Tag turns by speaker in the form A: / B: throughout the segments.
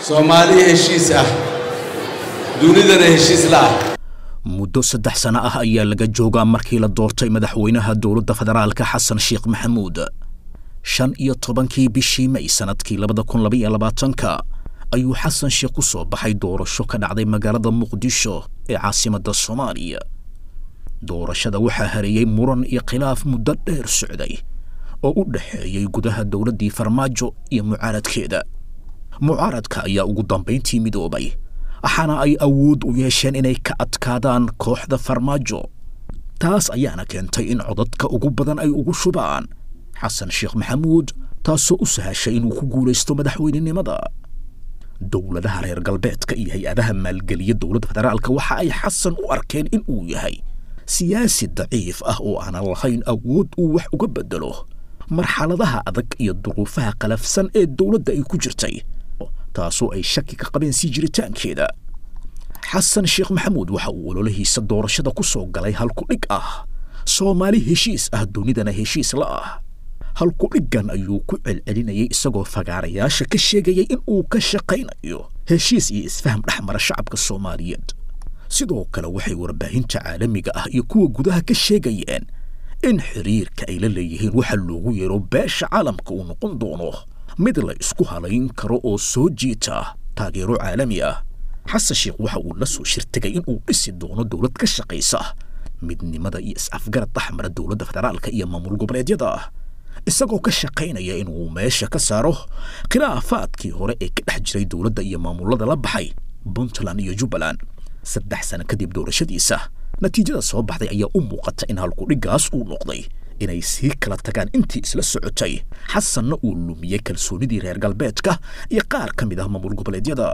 A: Soomaali heshiis ah, dunidana heshiis la ah.
B: Muddo 3 sano ah ayaa laga joogaa markii la doortay madaxweynaha dowladda federaalka Xasan Sheekh Maxamuud. 15-kii bishii May sanadkii 2022-ka ayuu Xasan Sheekh ku soo baxay doorasho ka dhacday magaalada Muqdisho ee caasimadda Soomaaliya. Doorashada waxaa hareeyey muran iyo khilaaf muddo dheer socday oo u dhexeeyey gudaha dowladdii Farmaajo iyo mucaaradkeeda. Mucaaradka ayaa ugu dambayntii midoobay, waxaana ay awood u yeesheen inay ka adkaadaan kooxda Farmaajo. Taas ayaana keentay in codadka ugu badan ay ugu shubaan Xasan Sheekh Maxamuud, taasoo u sahashay inuu ku guulaysto madaxweynenimada. Dowladaha reer galbeedka iyo hay-adaha maalgeliya dowladda federaalka waxa ay Xasan u arkeen in uu yahay siyaasi daciif ah oo aanan lahayn awood uu wax uga beddelo marxaladaha adag iyo duruufaha qalafsan ee dowladda ay ku jirtay, taasoo ay shaki ka qabeen sii jiritaankeeda. Xasan Sheekh Maxamuud waxa uu ololahiisa doorashada ku soo galay halku-dhig ah Soomaali heshiis ah, dunidana heshiis la ah. Halku-dhiggan ayuu ku celcelinayay isagoo fagaarayaasha ka sheegayay in uu ka shaqaynayo heshiis iyo isfaham dhex mara shacabka Soomaaliyeed. Sidoo kale waxay warbaahinta caalamiga ah iyo kuwa gudaha ka sheegayeen in xiriirka ay la leeyihiin waxa loogu yeero beesha caalamka uu noqon doono mid la isku halayn karo oo soo jiita taageero caalami ah. Xasan Sheekh waxa uu la soo shirtegay in uu dhisi doono dowlad ka shaqaysa midnimada iyo is-afgarad dhexmara dowladda federaalka iyo maamul goboleedyada, isagoo ka shaqaynaya inuu meesha ka saaro khilaafaadkii hore ee ka dhex jiray dowladda iyo maamulada la baxay Puntland iyo Jubbaland. 3 sano kadib doorashadiisa, natiijada soo baxday ayaa u muuqata in halkudhiggaas uu noqday inay sii kala tagaan intii isla socotay, Xasanna uu lumiyey kalsoonidii reer galbeedka iyo qaar ka mid ah maamul goboleedyada.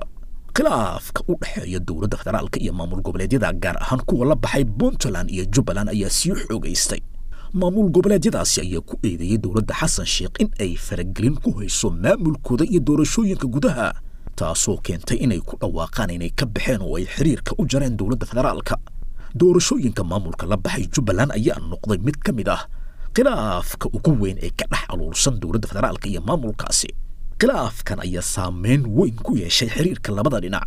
B: Khilaafka u dhexeeya dowladda federaalka iyo maamul goboleedyada, gaar ahaan kuwa la baxay Puntland iyo Jubbaland, ayaa sii xoogaystay. Maamul goboleedyadaasi ayaa ku eedeeyey dowladda Xasan Sheekh in ay faragelin ku hayso maamulkooda iyo doorashooyinka gudaha, taasoo keentay inay ku dhawaaqaan inay ka baxeen oo ay xiriirka u jareen dowladda federaalka. Doorashooyinka maamulka la baxay Jubbaland ayaa noqday mid ka mid ah khilaafka ugu weyn ee ka dhex aluursan dowladda federaalka iyo maamulkaasi. Khilaafkan ayaa saameyn weyn ku yeeshay xiriirka labada dhinac.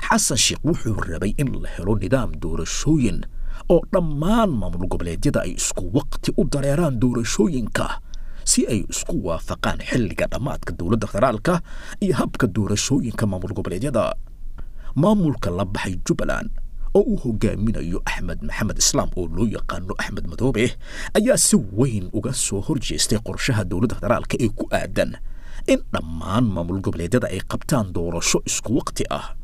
B: Xasan Sheekh wuxuu rabay in la helo nidaam doorashooyin oo dhammaan maamul goboleedyada ay isku waqti u dareeraan doorashooyinka, si ay isku waafaqaan xilliga dhammaadka dowladda federaalka iyo habka doorashooyinka maamul goboleedyada. Maamulka la baxay Jubbaland oo uu hogaaminayo Axmed Maxamed Islaam oo loo yaqaano Axmed Madoobe ayaa si weyn uga soo horjeestay qorshaha dowladda federaalka ee ku aadan in dhammaan maamul goboleedyada ay qabtaan doorasho isku waqti ah.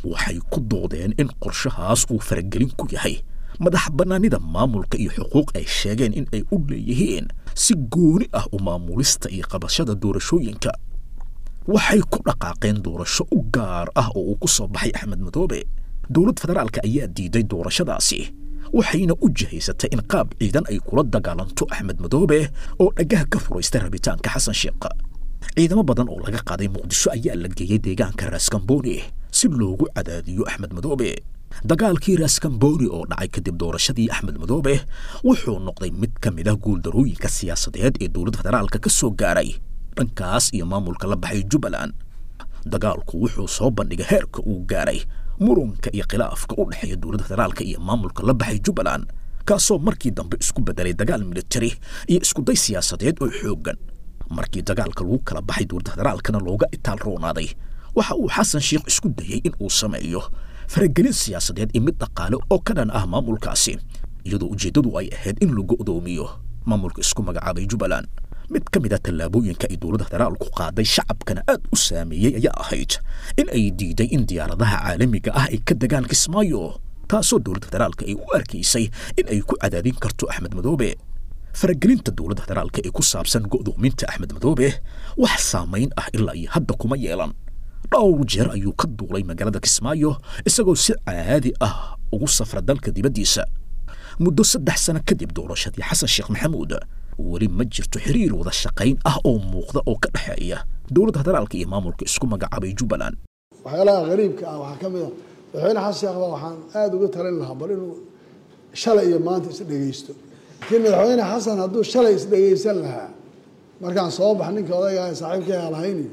B: Waxay ku doodeen in qorshahaas uu faragelin ku yahay madax bannaanida maamulka iyo xuquuq ay sheegeen in ay u leeyihiin si gooni ah u maamulista iyo qabashada doorashooyinka. Waxay ku dhaqaaqeen doorasho u gaar ah oo uu ku soo baxay Axmed Madoobe. Dowlad federaalka ayaa diiday doorashadaasi, waxayna u jihaysatay in qaab ciidan ay kula dagaalanto Axmed Madoobe oo dhagaha ka furaystay rabitaanka Xasan Sheekh. Ciidamo badan oo laga qaaday Muqdisho ayaa la geeyey deegaanka Raaskamboni si loogu cadaadiyo Axmed Madoobe. Dagaalkii Raaskamboni oo dhacay kadib doorashadii Axmed Madoobe wuxuu noqday mid ka mid ah guuldarooyinka siyaasadeed ee dowladda federaalka ka soo gaaray dhankaas iyo maamulka la baxay Jubbaland. Dagaalku wuxuu soo bandhigay heerka uu gaaray murunka iyo khilaafka u dhexeeya dowladda federaalka iyo maamulka la baxay Jubbaland, kaasoo markii dambe isku bedelay dagaal militari iyo iskuday siyaasadeed oo xooggan. Markii dagaalka lagu kala baxay, dowladda federaalkana looga itaal roonaaday, waxa uu Xasan Sheekh isku dayey in uu sameeyo faragelin siyaasadeed iyo mid dhaqaale oo ka dhan ah maamulkaasi, iyadoo ujeeddadu ay ahayd in lagu odoomiyo maamulka isku magacaabay Jubbaland. Mid ka mid a tallaabooyinka ay dowladda federaalku qaaday, shacabkana aad u saameeyey, ayaa ahayd in ay diiday in diyaaradaha caalamiga ah ay ka degaan Kismaayo, taasoo dowladda federaalka ay u arkaysay in ay ku cadaadin karto Axmed Madoobe. Faragelinta dowladda federaalka ee ku saabsan go'doominta Axmed Madoobe wax saamayn ah ilaa iyo hadda kuma yeelan. Dhowr jeer ayuu ka duulay magaalada Kismaayo isagoo si caadi ah ugu safra dalka dibaddiisa. Muddo 3 sano kadib doorashadii Xasan Sheekh Maxamuud, weli ma jirto xiriir wada shaqayn ah oo muuqda oo ka dhexeeya dowladda federaalka iyo maamulka isku magacaabay Jubbaland.
C: Waxyaalaha qariibka ah waxaa ka mid ah madaxweyne Xasan Sheekh baa waxaan aada uga talin lahaa bal inuu shalay iyo maanta is dhegeysto. Laakiin madaxweyne Xasan hadduu shalay is dhegeysan lahaa, markaan soo bax ninka odayga saaxiibkay aan lahayniyo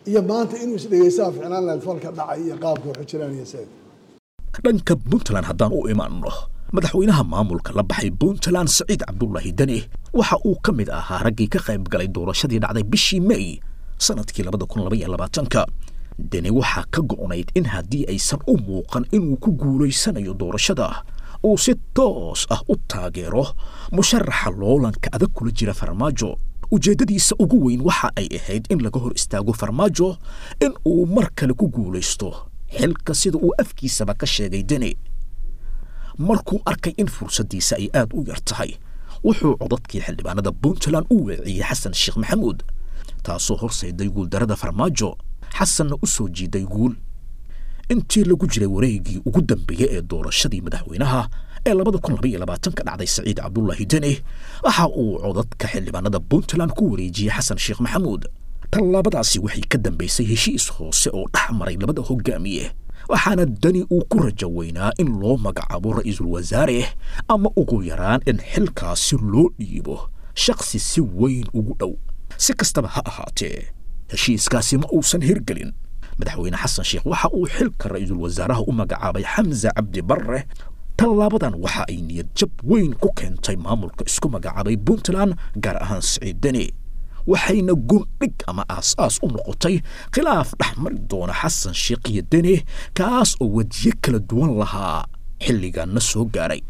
C: Iyo maanta inuu isdhegeystaa ficnaan lahayd falka dhacay iyo qaabka waxu jiraan iyo seed.
B: Dhanka Puntland haddaan u imaanno, madaxweynaha maamulka la baxay Puntland Saciid Cabdulaahi Deni waxa uu ka mid ahaa raggii ka qayb galay doorashadii dhacday bishii May sanadkii 2022-ka. Deni waxaa ka go'nayd in haddii aysan u muuqan inuu ku guulaysanayo doorashada uu si toos ah u taageero musharaxa loolanka adag kula jira Farmaajo. Ujeeddadiisa ugu weyn waxa ay ahayd in laga hor istaago Farmaajo in uu mar kale ku guulaysto xilka, sida uu afkiisaba ka sheegay. Deni markuu arkay in fursaddiisa ay aad u yar tahay, wuxuu codadkii xildhibaanada Puntland u weeciyey Xasan Sheekh Maxamuud, taasoo horseeday guuldarrada Farmaajo, Xasanna u soo jiiday guul. Intii lagu jiray wareegii ugu dambeeyey ee doorashadii madaxweynaha ee 2022-ka dhacday, Saciid Cabdulaahi Deni waxa uu codadka xildhibaanada Puntland ku wareejiyey Xasan Sheekh Maxamuud. Tallaabadaasi waxay ka dambaysay heshiis hoose oo dhex maray labada hogaamiye, waxaana Deni uu ku rajo weynaa in loo magacaabo ra'iisul wasaare ama ugu yaraan in xilkaasi loo dhiibo shakhsi si weyn ugu dhow. Si kastaba ha ahaatee, heshiiskaasi ma uusan hirgelin. Madaxweyne Xasan Sheekh waxa uu xilka ra'iisul wasaaraha u magacaabay Xamse Cabdi Barre. Tallaabadan waxa ay niyad jab weyn ku keentay maamulka isku magacaabay Puntland, gaar ahaan Siciid Deni, waxayna gundhig ama aas-aas u noqotay khilaaf dhex mari doona Xasan Sheekh iyo Deni, kaas oo wejiyo kala duwan lahaa xilligaanna soo gaaray.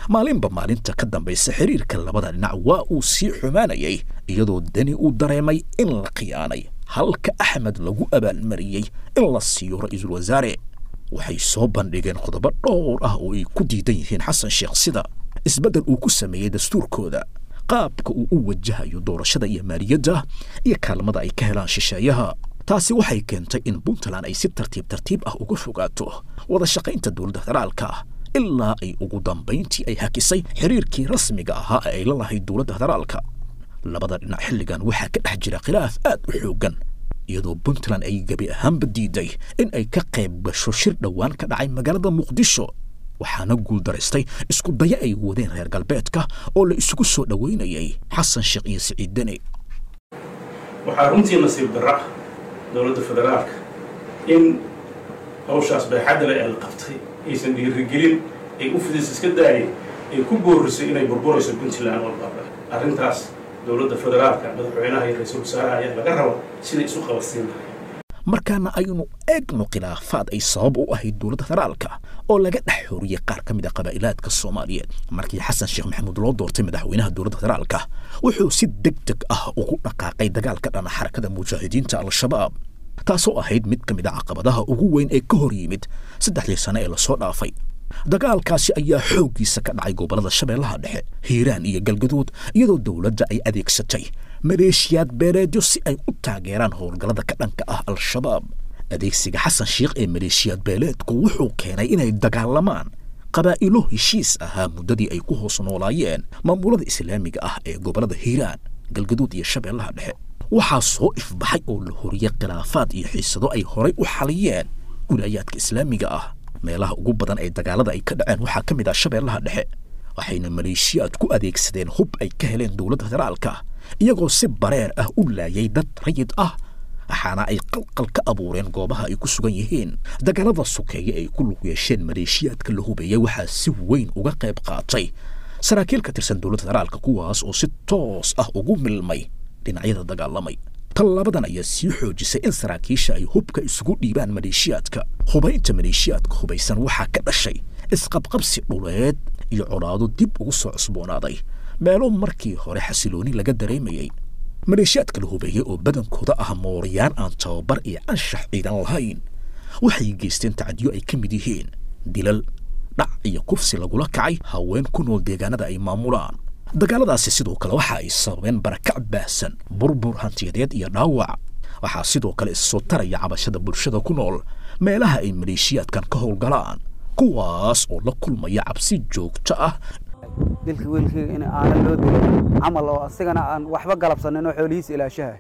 B: Maalinba maalinta ka dambaysa xiriirka labada dhinac waa uu sii xumaanayay, iyadoo Deni uu dareemay in la khiyaanay halka Axmed lagu abaalmariyey in la siiyo ra'iisul wasaare. Waxay soo bandhigeen qodobo dhowr ah oo ay ku diidan yihiin Xasan Sheekh, sida isbeddel uu ku sameeyey dastuurkooda, qaabka uu u wajahayo doorashada iyo maaliyadda, iyo kaalmada ay ka helaan shisheeyaha. Taasi waxay keentay in Puntland ay si tartiib tartiib ah uga fogaato wada shaqaynta dowladda federaalka, ilaa ay ugu dambayntii ay hakisay xiriirkii rasmiga ahaa ee ay la lahayd dowladda federaalka. Labada dhinac xilligan waxaa ka dhex jira khilaaf aad u xooggan, iyadoo Puntland ay gebi ahaanba diiday in ay ka qayb gasho shir dhowaan ka dhacay magaalada Muqdisho, waxaana guuldaraystay isku dayo ay wadeen reer galbeedka oo la isugu soo dhoweynayay Xasan Sheekh iyo Siciid Deni.
D: Waxaa runtii nasiib darra ah dowladda federaalka in hawshaas baaxadda leh ee la qabtay aysan dhiirigelin ay u fidis iska daayay ay ku boorisay inay burburayso Puntland walbaaba. Arrintaas dowladda federaalka, madaxweynaha iyo ra-iisul wasaaraha ayaa laga rabaa siday isu qabadsiin lahayd.
B: Markaana aynu eegno khilaafaad ay sabab u ahayd dowladda federaalka oo laga dhex xoriyey qaar ka mid a qabaa'ilaadka Soomaaliyeed. Markii Xasan Sheekh Maxamuud loo doortay madaxweynaha dowladda federaalka, wuxuu si deg deg ah ugu dhaqaaqay dagaalka dhana Xarakada Mujaahidiinta Al-Shabaab, taasoo ahayd mid ka mid a caqabadaha ugu weyn ee ka hor yimid 3dii sane ee lasoo dhaafay. Dagaalkaasi ayaa xooggiisa ka dhacay gobollada Shabeellaha Dhexe, Hiiraan iyo Galgaduud, iyadoo dowladda ay adeegsatay maleeshiyaad beeleedyo si ay u taageeraan howlgallada ka dhanka ah Al-Shabaab. Adeegsiga Xasan Sheekh ee maleeshiyaad beeleedku wuxuu keenay inay dagaalamaan qabaa'ilo heshiis ahaa muddadii ay ku hoos noolaayeen maamulada islaamiga ah ee gobollada Hiiraan, Galgaduud iyo Shabeellaha Dhexe. Waxaa soo ifbaxay oo la horiyey khilaafaad iyo xiisado ay horay u xaliyeen wilaayaadka islaamiga ah. Meelaha ugu badan ee dagaalada ay ka dhaceen waxaa ka mid ah Shabeellaha Dhexe, waxayna maleeshiyaad ku adeegsadeen hub ay ka heleen dowladda federaalka, iyagoo si bareer ah u laayay dad rayid ah, waxaana ay qalqal ka abuureen goobaha ay ku sugan yihiin. Dagaalada sokeeye ay ku lug yeesheen maleeshiyaadka la hubeeyey waxaa si weyn uga qayb qaatay saraakiil ka tirsan dowladda federaalka, kuwaas oo si toos ah ugu milmay dhinacyada dagaalamay. Tallaabadan ayaa sii xoojisay in saraakiisha ay hubka isugu dhiibaan maleeshiyaadka. Hubaynta maleeshiyaadka hubaysan waxaa ka dhashay isqabqabsi dhuleed iyo colaado dib ugu soo cusboonaaday meelo markii hore xasilooni laga dareemayey. Maleeshiyaadka la hubeeyey oo badankooda ah mooriyaan aan tababar iyo anshax ciidan lahayn waxay geysteen tacdiyo ay ka mid yihiin dilal, dhac iyo kufsi lagula kacay haween ku nool deegaanada ay maamulaan. Dagaaladaasi sidoo kale waxa ay sababeen barakac baahsan, burbur hantiyadeed iyo dhaawac. Waxaa sidoo kale issoo taraya cabashada bulshada ku nool meelaha ay maleeshiyaadkan ka howlgalaan, kuwaas oo la kulmaya cabsi joogto ah.
E: Dilka wiilkayga in aana loo dilay camal oo asigana aan waxba galabsanin oo xoolihiisa ilaashaha,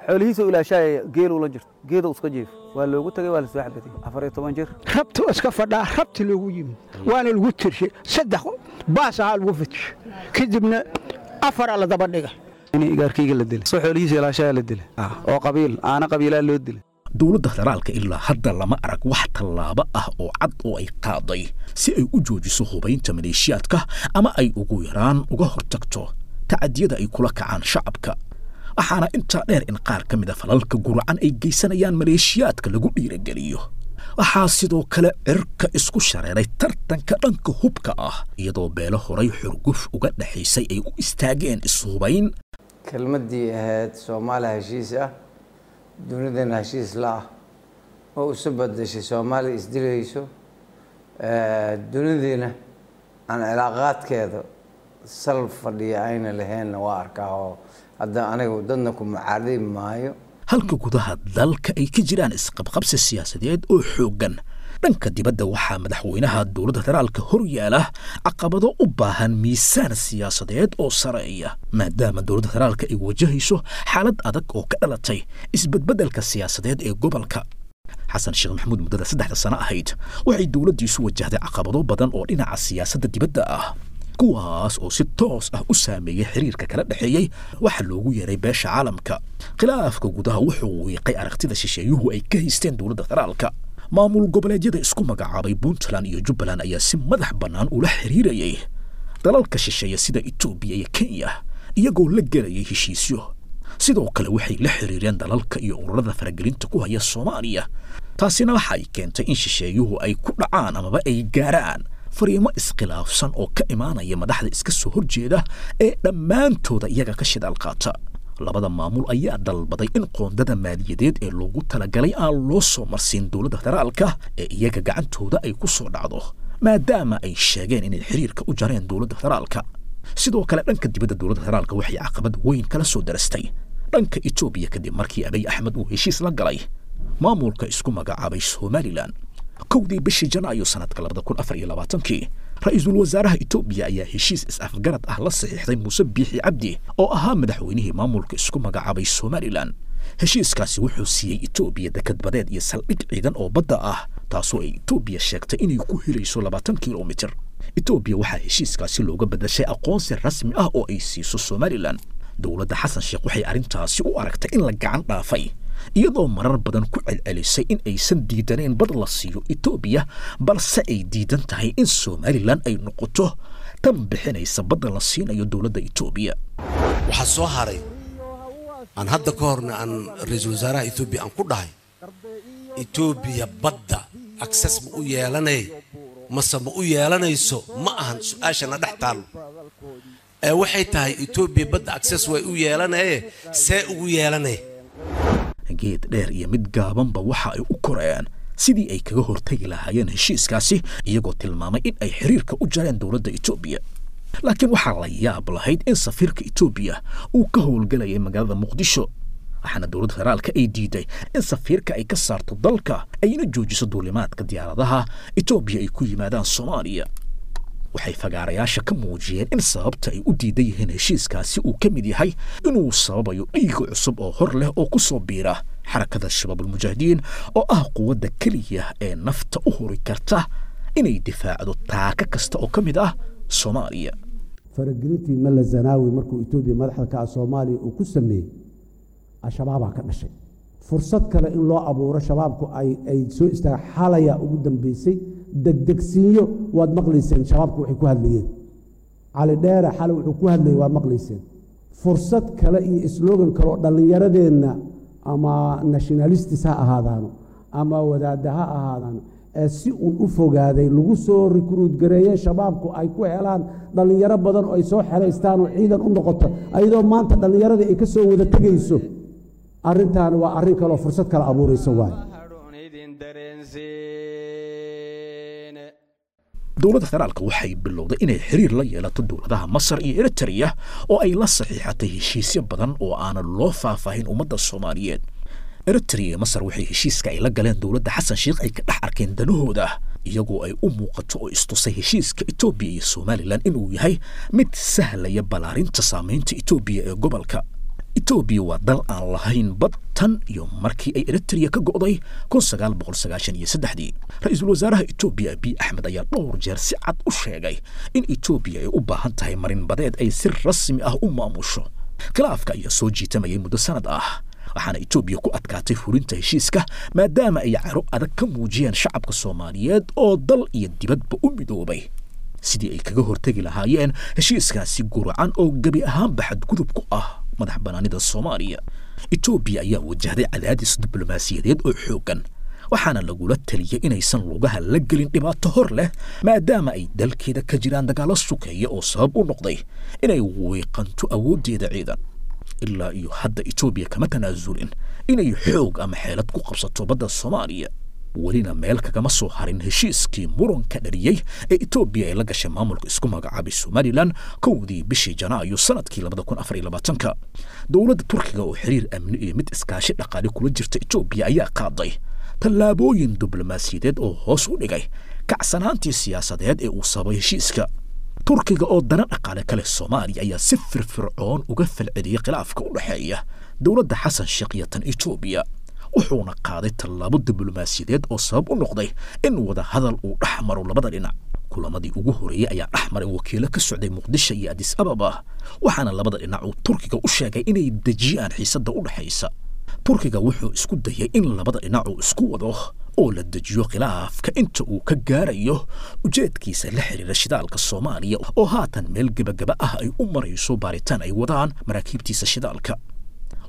E: xoolihiisa ilaashahaya, geeluu la jirto, geeduu iska jiif, waa loogu tagay, waa la soo xabatay, 14 jir.
F: Rabta iska fadhaa, rabti loogu yimid, waana lagu tirshay, 3 baas ahaa lagu fitishay, kadibna 4 la daba dhiga.
E: In igaarkayga la dilay, soo xoolihiisa ilaashayaa la dilay oo qabiil aana qabiilaa loo dilay.
B: Dowladda federaalka ilaa hadda lama arag wax tallaabo ah oo cad oo ay qaaday si ay u joojiso hubaynta maleeshiyaadka ama ay ugu yaraan uga hortagto tacadiyada ay kula kacaan shacabka. Waxaana intaa dheer in qaar ka mid a falalka guracan ay geysanayaan maleeshiyaadka lagu dhiirageliyo. Waxaa sidoo kale cirka isku shareeray tartanka dhanka hubka ah, iyadoo beelo horay xurguf uga dhexaysay ay u istaageen ishubayn.
G: Kelmaddii ahayd Soomaaliya heshiis ah, dunidana heshiis la ah, oo isu bedeshay Soomaaliya isdilayso, dunidiina aan cilaaqaadkeeda sal fadhiya ayna lahaynna waa arkaa, oo hadda anigu dadna ku mucaaridi maayo.
B: Halka gudaha dalka ay ka jiraan isqabqabsi siyaasadeed oo xooggan, dhanka dibadda waxaa madaxweynaha dowladda federaalka hor yaala caqabado u baahan miisaan siyaasadeed oo sareeya, maadaama dowladda federaalka ay wajahayso xaalad adag oo ka dhalatay isbedbeddelka siyaasadeed ee gobolka. Xasan Sheekh Maxamuud muddada 3da sano ahayd waxay dowladdiisu wajahday caqabado badan oo dhinaca siyaasadda dibadda ah, kuwaas oo si toos ah u saameeyey xiriirka kala dhexeeyey waxa loogu yeeray beesha caalamka. Khilaafka gudaha wuxuu wiiqay aragtida shisheeyuhu ay ka haysteen dowladda federaalka. Maamul goboleedyada isku magacaabay Puntland iyo Jubbaland ayaa si madax bannaan ula xiriirayay dalalka shisheeye sida Etoobiya iyo Kenya, iyagoo la gelayay heshiisyo. Sidoo kale waxay la xiriireen dalalka iyo ururada faragelinta ku haya Soomaaliya. Taasina waxa ay keentay in shisheeyuhu ay ku dhacaan amaba ay gaaraan fariimo iskhilaafsan oo ka imaanaya madaxda iska soo horjeeda ee dhammaantooda iyaga ka shidaal qaata. Labada maamul ayaa dalbaday in qoondada maaliyadeed ee loogu talagalay aan loo soo marsiin dowladda federaalka ee iyaga gacantooda ay ku soo dhacdo, maadaama ay sheegeen inay xiriirka u jareen dowladda federaalka. Sidoo kale dhanka dibadda, dowladda federaalka waxay caqabad weyn kala soo darastay dhanka Etoobiya kadib markii Abiy Axmed uu heshiis la galay maamulka isku magacaabay Somalilan. 1dii bishii Janaayo sanadka 2024kii, ra-iisul wasaaraha Etoobiya ayaa heshiis is-afgarad ah la saxiixday Muuse Biixi Cabdi oo ahaa madaxweynihii maamulka isku magacaabay Somalilan. Heshiiskaasi wuxuu siiyey Etoobiya dekad badeed iyo saldhig ciidan oo badda ah, taasoo ay Etoobiya sheegtay inay ku helayso 20 kilomitir. Etoobiya waxaa heshiiskaasi looga bedashay aqoonsi rasmi ah oo ay siiso Somalilan. Dowladda Xasan Sheekh waxay arrintaasi u aragtay in la gacan dhaafay, iyadoo marar badan ku celcelisay in aysan diidaneen bad la siiyo Etoobiya, balse ay diidan tahay in Somalilan ay noqoto tan bixinaysa badda la siinayo dowladda Etoobiya.
A: Waxaa soo haray aan hadda ka horna aan ra-iisul wasaaraha Etoobiya aan ku dhahay, Etoobiya badda access ma u yeelanay mase ma u yeelanayso? Ma ahan su-aashana dhex taallo ee waxay tahay Etoobiya badda access way u yeelanaye, see ugu yeelanay?
B: Geed dheer iyo mid gaabanba waxa ay u koreen sidii ay kaga hortagi lahaayeen heshiiskaasi, iyagoo tilmaamay in ay xiriirka u jareen dowladda Etoobiya. Laakiin waxaa la yaab lahayd in safiirka Etoobiya uu ka howlgelayay magaalada Muqdisho, waxaana dowladda federaalka ay diiday in safiirka ay ka saarto dalka ayna joojiso duulimaadka diyaaradaha Etoobiya ay ku yimaadaan Soomaaliya. Waxay fagaarayaasha ka muujiyeen in sababta ay u diidan yihiin heshiiskaasi uu ka mid yahay inuu sababayo dhiig cusub oo hor leh oo ku soo biira Xarakada Shabaabulmujaahidiin, oo ah quwadda keliya ee nafta u huri karta inay difaacdo taaka kasta oo ka mid ah Soomaaliya.
H: Faragelintii Mala Zanaawi markuu Etoobiya madaxda ka ah Soomaaliya uu ku sameeyey, Al-Shabaabaa ka dhashay. Fursad kale in loo abuuro Shabaabku ay soo istaaga xalaya ugu dambeysay degdegsiinyo. Waad maqlayseen Shabaabku waxay ku hadlayeen, Cali Dheere xalay wuxuu ku hadlayay waad maqlayseen. Fursad kale iyo slogan kale oo dhallinyaradeenna ama nationalistis ha ahaadaano ama wadaadda ha ahaadaano ee si uun u fogaaday lagu soo recruit gareeye, Shabaabku ay ku helaan dhallinyaro badan oo ay soo xelaystaan oo ciidan u noqoto, ayadoo maanta dhallinyaradii ay ka soo wada tegayso. Arrintaani waa arrin kaleoo fursad kale abuuraysa waaye.
B: Dowladda federaalka waxay bilowday inay xiriir la yeelato dowladaha Masar iyo Eritrea oo ay la saxiixatay heshiisyo badan oo aanan loo faahfaahin ummadda Soomaaliyeed. Eritrea iyo Masar waxay heshiiska ay la galeen dowladda Xasan Sheekh ay ka dhex arkeen danahooda, iyagoo ay u muuqato oo istusay heshiiska Etoobiya iyo Somalilan inuu yahay mid sahlaya ballaarinta saamaynta Etoobiya ee gobolka. Etoobiya waa dal aan lahayn bad tan iyo markii ay Eritrea ka go'day 1993dii. Ra-iisul wasaaraha Etoobiya Abiy Axmed ayaa dhowr jeer si cad u sheegay in Etoobiya ay u baahan tahay marin badeed ay si rasmi ah u maamusho. Khilaafka ayaa soo jiitamayay muddo sanad ah, waxaana Etoobiya ku adkaatay fulinta heshiiska maadaama ay caro adag ka muujiyeen shacabka Soomaaliyeed oo dal iyo dibadba u midoobay sidii ay kaga hortegi lahaayeen heshiiskaasi guracan oo gebi ahaanba xadgudub ku ah madax bannaanida Soomaaliya. Etoobiya ayaa wajahday cadaadis diblomaasiyadeed oo xooggan, waxaana lagula taliyey inaysan lugaha la gelin dhibaato hor leh maadaama ay dalkeeda ka jiraan dagaallo sukeeya oo sabab u noqday inay wiiqanto awooddeeda ciidan. Ilaa iyo hadda Etoobiya kama tanaasulin inay xoog ama xeelad ku qabsato badda Soomaaliya, welina meel kagama soo harin heshiiskii muranka dhaliyey ee Etoobiya ay la gashay maamulka isku magacaabay Somalilan 1dii bishii Janaayo sanadkii 2024-ka. Dowladda Turkiga oo xiriir amni iyo mid iskaashi dhaqaale kula jirta Etoobiya ayaa qaaday tallaabooyin diblomaasiyadeed oo hoos u dhigay kacsanaantii siyaasadeed ee uu sababay heshiiska. Turkiga oo dana dhaqaale ka leh Soomaaliya ayaa si firfircoon uga falceliyey khilaafka u dhexeeya dowladda Xasan Sheekh iyo tan Etoobiya, wuxuuna qaaday tallaabo diblomaasiyadeed oo sabab u noqday in wada hadal uu dhex maro labada dhinac. Kulamadii ugu horeeyey ayaa dhex maray wakiilo ka socday Muqdisho iyo Addis Ababa, waxaana labada dhinac uu Turkiga u sheegay inay dejiyaan xiisadda u dhexaysa. Turkiga wuxuu isku dayay in labada dhinac uu isku wado oo la dejiyo khilaafka inta uu ka gaarayo ujeedkiisa la xiriira shidaalka Soomaaliya oo haatan meel gebagaba ah ay u marayso baaritaan ay wadaan maraakiibtiisa shidaalka.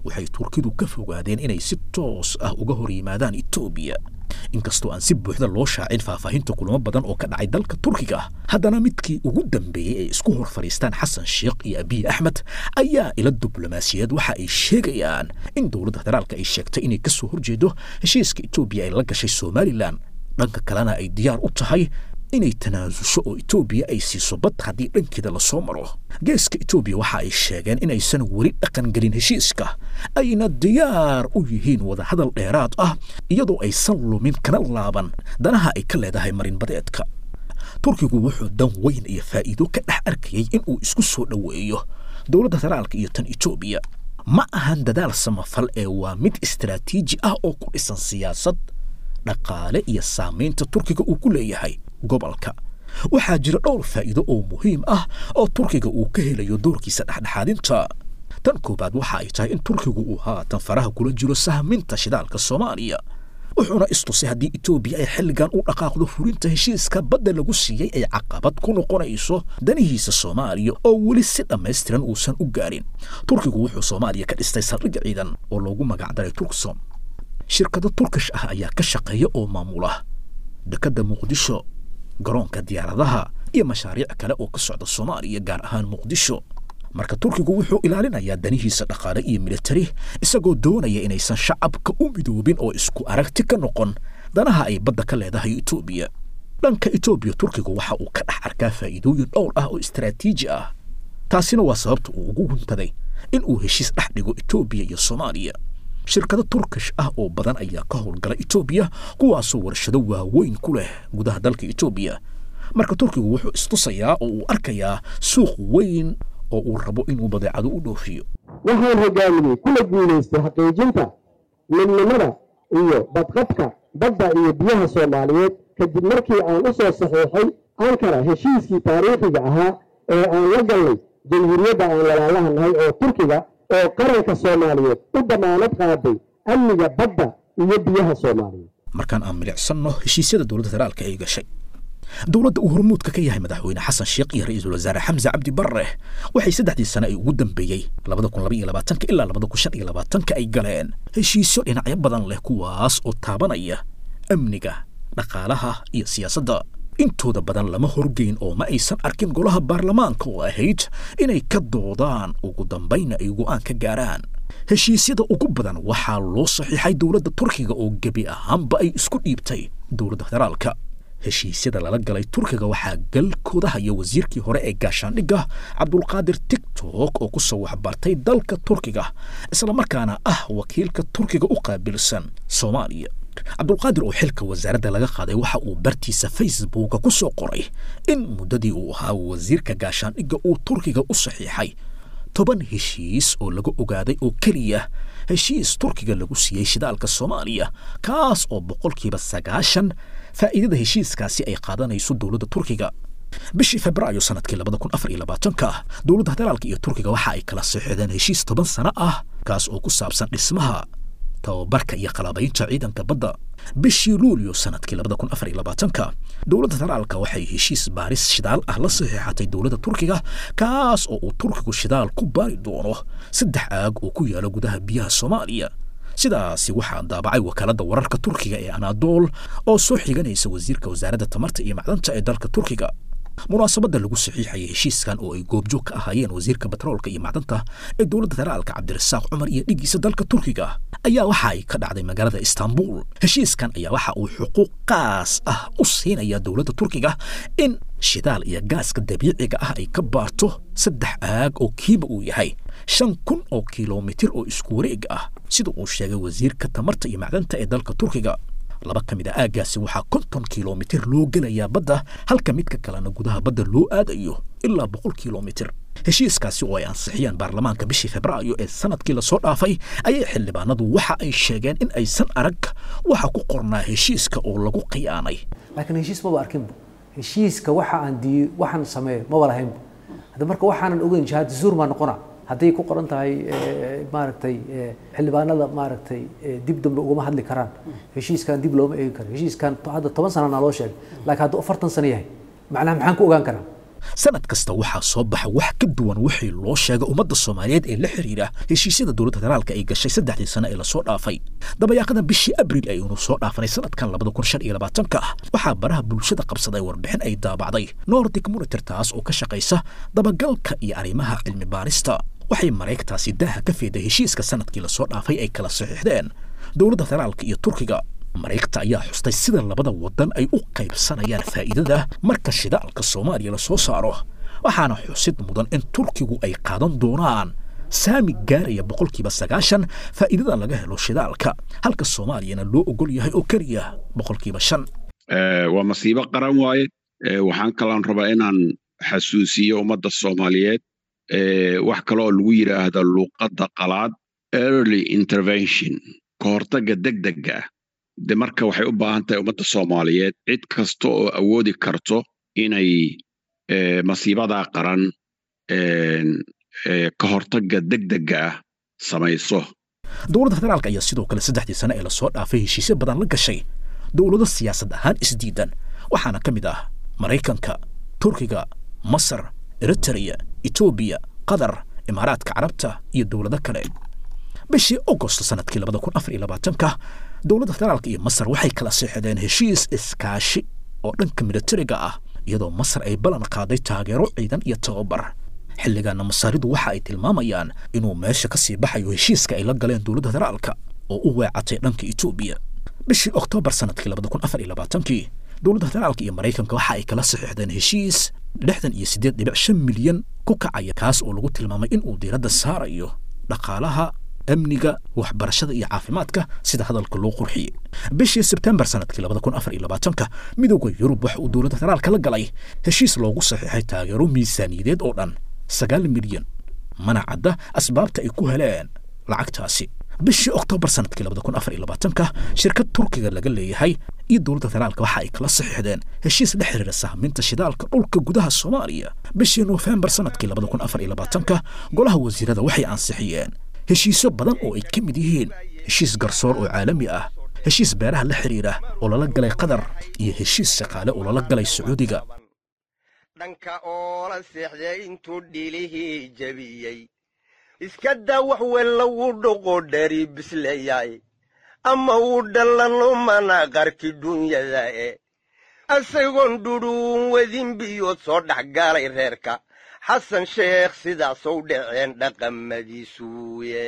B: Waxay Turkidu ka fogaadeen inay si toos ah uga hor yimaadaan Etoobiya. Inkastoo aan si buuxda loo shaacin faahfaahinta kulamo badan oo ka dhacay dalka Turkiga, haddana midkii ugu dambeeyey ay isku hor fadhiistaan Xasan Sheekh iyo Abiy Axmed ayaa ila diblomaasiyadeed waxa ay sheegayaan in dowladda federaalka ay sheegtay inay ka soo horjeedo heshiiska Etoobiya ay la gashay Somalilan, dhanka kalena ay diyaar u tahay inay tanaasusho oo Etoobiya ay siiso bad haddii dhankeeda lasoo maro. Geeska Etoobiya waxa ay sheegeen inaysan weli dhaqan gelin heshiiska, ayna diyaar u yihiin wadahadal dheeraad ah iyadoo aysan lumin kana laaban danaha ay ka leedahay marinbadeedka. Turkigu wuxuu dan weyn iyo faa'iido ka dhex arkayay in uu isku soo dhoweeyo dowladda federaalka iyo tan Etoobiya. Ma ahan dadaal samafal ee waa mid istaraatiiji ah oo ku dhisan siyaasad, dhaqaale iyo saamaynta Turkiga uu ku leeyahay gobolka. Waxaa jira dhowr faa'iido oo muhiim ah oo Turkiga uu ka helayo doorkiisa dhexdhexaadinta. Tan koowaad waxa ay tahay in Turkigu uu haatan faraha kula jiro sahminta shidaalka Soomaaliya, wuxuuna istusay haddii Etoobiya ay xilligan u dhaqaaqdo fulinta heshiiska badda lagu siiyey ay caqabad ku noqonayso danihiisa Soomaaliya oo weli si dhammaystiran uusan u gaarin. Turkigu wuxuu Soomaaliya ka dhistay saldhig ciidan oo loogu magacdaray Turksom. Shirkado Turkish ah ayaa ka shaqeeya oo maamula dekedda Muqdisho, garoonka diyaaradaha iyo mashaariic kale oo ka socda Soomaaliya, gaar ahaan Muqdisho. Marka Turkigu wuxuu ilaalinayaa danihiisa dhaqaale iyo militari, isagoo doonaya inaysan shacabka u midoobin oo isku aragti ka noqon danaha ay badda ka leedahay Etoobiya. Dhanka Etoobiya, Turkigu waxa uu ka dhex arkaa faa'iidooyin dhowr ah oo istaraatiiji ah, taasina waa sababta uu ugu huntaday in uu heshiis dhex dhigo Etoobiya iyo Soomaaliya. Shirkado Turkish ah oo badan ayaa ka howlgala Etoobiya, kuwaasoo warshado waaweyn ku leh gudaha dalka Etoobiya. Marka Turkigu wuxuu istusayaa oo uu arkayaa suuq weyn oo uu rabo inuu badeecado u dhoofiyo.
I: Waxaan hogaaminay kuna guulaystay xaqiijinta midnimada iyo badqabka badda iyo biyaha Soomaaliyeed kadib markii aan u soo saxiixay Ankara heshiiskii taariikhiga ahaa ee aan la galnay jamhuuriyadda aan walaalaha nahay oo Turkiga, oo qaranka Soomaaliyeed u damaanad qaaday amniga badda iyo biyaha Soomaaliyeed.
B: Markaan aan milicsanno heshiisyada dowladda federaalka ay gashay, dowladda uu hormuudka ka yahay madaxweyne Xasan Sheekh iyo ra-iisul wasaare Xamse Cabdi Barre waxay 3dii sane ay ugu dambeeyey 2022 ilaa 2025 ay galeen heshiisyo dhinacyo badan leh, kuwaas oo taabanaya amniga, dhaqaalaha iyo siyaasadda. Intooda badan lama horgeyn oo ma aysan arkin golaha baarlamaanka oo ahayd inay ka doodaan ugu dambayna ay go'aan ka gaaraan. Heshiisyada ugu badan waxaa loo saxiixay dowladda Turkiga oo gebi ahaanba ay isku dhiibtay dowladda federaalka. Heshiisyada lala galay Turkiga waxaa galkooda haya wasiirkii hore ee gaashaandhigga Cabdulqaadir Tigtok oo ku soo waxbartay dalka Turkiga, islamarkaana ah wakiilka Turkiga u qaabilsan Soomaaliya. Cabdulqaadir oo xilka wasaaradda laga qaaday waxa uu bartiisa Facebooka ku soo qoray in muddadii uu ahaa wasiirka gaashaandhigga uu Turkiga u saxiixay 10 heshiis oo laga ogaaday oo keliya heshiis Turkiga lagu siiyey shidaalka Soomaaliya, kaas oo 90% faa'iidada heshiiskaasi ay qaadanayso dowladda Turkiga. Bishii Febraayo sanadkii 2024-ka, dowladda federaalka iyo Turkiga waxa ay kala saxiixdeen heshiis 10 sano ah, kaas oo ku saabsan dhismaha, tababarka iyo qalabaynta ciidanka badda. Bishii Luulyo sanadkii 2024-ka, dowladda federaalka waxay heshiis baaris shidaal ah la saxiixatay dowladda Turkiga, kaas oo uu Turkigu shidaal ku baari doono 3 aag oo ku yaala gudaha biyaha Soomaaliya. Sidaasi waxaa daabacay wakaaladda wararka Turkiga ee Anadol oo soo xiganaysa wasiirka wasaaradda tamarta iyo macdanta ee dalka Turkiga. Munaasabadda lagu saxiixayay heshiiskan oo ay goobjoog ka ahaayeen wasiirka batroolka iyo macdanta ee dowladda federaalka Cabdirasaaq Cumar iyo dhigiisa dalka Turkiga ayaa waxa ay ka dhacday magaalada Istanbul. Heshiiskan ayaa waxa uu xuquuq qaas ah u siinaya dowladda Turkiga in shidaal iyo gaaska dabiiciga ah ay ka baarto 3 aag oo kiiba uu yahay 5000 oo kilomitir oo isku wareeg ah, sida uu sheegay wasiirka tamarta iyo macdanta ee dalka Turkiga. 2 ka mid a aaggaasi waxaa 50 kilomitir loo gelayaa badda, halka midka kalena gudaha badda loo aadayo ilaa 100 kilomitir. Heshiiskaasi oo ay ansixiyeen baarlamaanka bishii Febraayo ee sanadkii lasoo dhaafay ayay xildhibaanadu waxa ay sheegeen in aysan arag waxa ku qornaa heshiiska oo lagu khiyaanay.
J: Laakiin heshiis maba arkinba, heshiiska waxa aan diiyo waxaan sameeyo maba lahaynba. Hadda marka waxaanan ogeyn shahaado zuur maa noqona hadday ku qoran tahay maaragtay xildhibaanada maaragtay dib dambe ugama hadli karaan heshiiskan, dib looma eegi karo heshiiskan. Hadda 10 sana naloo sheegay, laakiin hadduu 40 sano yahay macnaha maxaan ku ogaan karaa?
B: Sanad kasta waxaa soo baxa wax ka duwan wixii loo sheegay ummadda Soomaaliyeed ee la xiriira heshiisyada dowladda federaalka ay gashay 3dii sano ee lasoo dhaafay. Dabayaaqada bishii Abriil ayuunu soo dhaafanay sanadkan 2025-ka ah, waxaa baraha bulshada qabsaday warbixin ay daabacday Nordic Monitor, taas oo ka shaqaysa dabagalka iyo arrimaha cilmi baarista. Waxay mareegtaasi daaha ka feeday heshiiska sanadkii lasoo dhaafay ay kala saxiixdeen dowladda federaalka iyo Turkiga. Mareegta ayaa xustay sida labada waddan ay u qaybsanayaan faa'iidada marka shidaalka Soomaaliya lasoo saaro, waxaana xusid mudan in Turkigu ay qaadan doonaan saami gaaraya 90% faa'iidada laga helo shidaalka, halka Soomaaliyana loo ogol yahay oo keliya 5%.
K: Waa masiibo qaran waaye. Waxaan kaloon rabaa inaan xasuusiyo ummadda Soomaaliyeed wax kale oo lagu yidhaahdo luuqadda qalaad early intervention, ka hortagga degdegga ah. De marka waxay u baahan tahay ummadda Soomaaliyeed cid kasta oo awoodi karto inay masiibadaa qaran ka hortagga degdegga ah samayso.
B: Dowladda federaalka ayaa sidoo kale 3dii sano ee lasoo dhaafay heshiisyo badan la gashay dowlado siyaasad ahaan isdiidan, waxaana ka mid ah Maraykanka, Turkiga, Masar, Eritrea, Etoobiya, Qatar, Imaaraadka Carabta iyo dowlado kale. Bishii Agosto sanadkii 2024-ka, dowladda federaalka iyo Masar waxay kala seexdeen heshiis iskaashi oo dhanka militariga ah, iyadoo Masar ay ballan qaaday taageero ciidan iyo tababar. Xilligaana Masaaridu waxa ay tilmaamayaan inuu meesha ka sii baxayo heshiiska ay la galeen dowladda federaalka oo u weecatay dhanka Etoobiya. Bishii Oktoobar sanadkii 2024-kii, dowladda federaalka iyo Maraykanka waxa ay kala saxiixdeen heshiis 68.5 milyan ku kacaya, kaas oo lagu tilmaamay in uu diiradda saarayo dhaqaalaha, amniga, waxbarashada iyo caafimaadka, sida hadalka loo qurxiyey. Bishii Sebtembar sanadkii 2024-ka, Midowda Yurub waxa uu dowladda federaalka la galay heshiis loogu saxiixay taageero miisaaniyadeed oo dhan 9 milyan, mana cadda asbaabta ay ku heleen lacagtaasi. Bishii Oktoobar sanadkii 2024-ka, shirkad Turkiga laga leeyahay iyo dowladda federaalka waxa ay kala saxiixdeen heshiis la xiriira sahminta shidaalka dhulka gudaha Soomaaliya. Bishii Noofembar sanadkii 2024-ka, golaha wasiirada waxay ansixiyeen heshiisyo badan oo ay ka mid yihiin heshiis garsoor oo caalami ah, heshiis beeraha la xiriira oo lala galay Qatar iyo heshiis shaqaale oo lala galay Sacuudiga.
L: Dhanka oola seexday intuu dhilihii jebiyey, iska daa wax wella wuu dhoqo dhari bisleeyaay ama uu dhallanumana qarki dunyada e asagoon dhudhuun wadin biyood soo dhex galay reerka Xasan Sheekh sidaasou dhaceen dhaqamadiisuye.